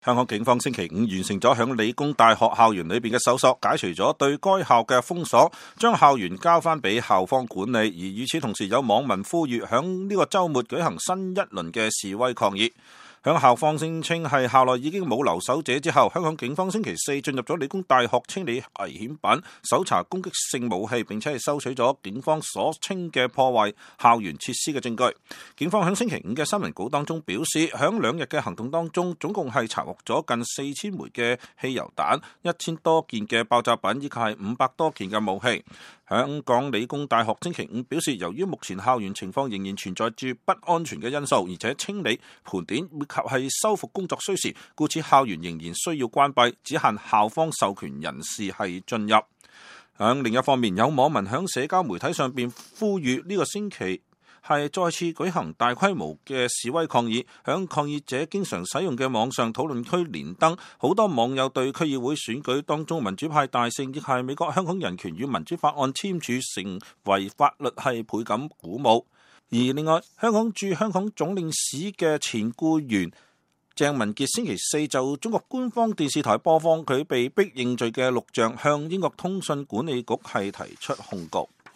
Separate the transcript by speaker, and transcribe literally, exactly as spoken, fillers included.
Speaker 1: 香港警方星期五完成咗響理工大學校園裏邊嘅搜索，解除咗對該校嘅封鎖，將校園交翻俾校方管理。而與此同時，有網民呼籲響呢個週末舉行新一輪嘅示威抗議。響校方聲稱係校內已經冇留守者之後，香港警方星期四進入咗理工大學清理危險品，搜查攻擊性武器，並且係收取咗警方所稱嘅破壞校園設施嘅證據。警方響星期五嘅新聞稿當中表示，響兩日嘅行動當中，總共係查獲咗近四千枚嘅汽油彈、一千多件嘅爆炸品，以及係五百多件嘅武器。香港理工大學星期五表示，由於目前校園情況仍然存在住不安全嘅因素，而且清理、盤點以及係修復工作需時，故此校園仍然需要關閉，只限校方授權人士係進入。響另一方面，有網民響社交媒體上邊呼籲呢個星期係再次舉行大規模嘅示威抗議，響抗議者經常使用嘅網上討論區連登，好多網友對區議會選舉當中民主派大勝，亦係美國香港人權與民主法案簽署成為法律係倍感鼓舞。而另外，香港駐香港總領事嘅前僱員鄭文傑星期四就中國官方電視台播放佢被逼認罪嘅錄像，向英國通訊管理局係提出控告。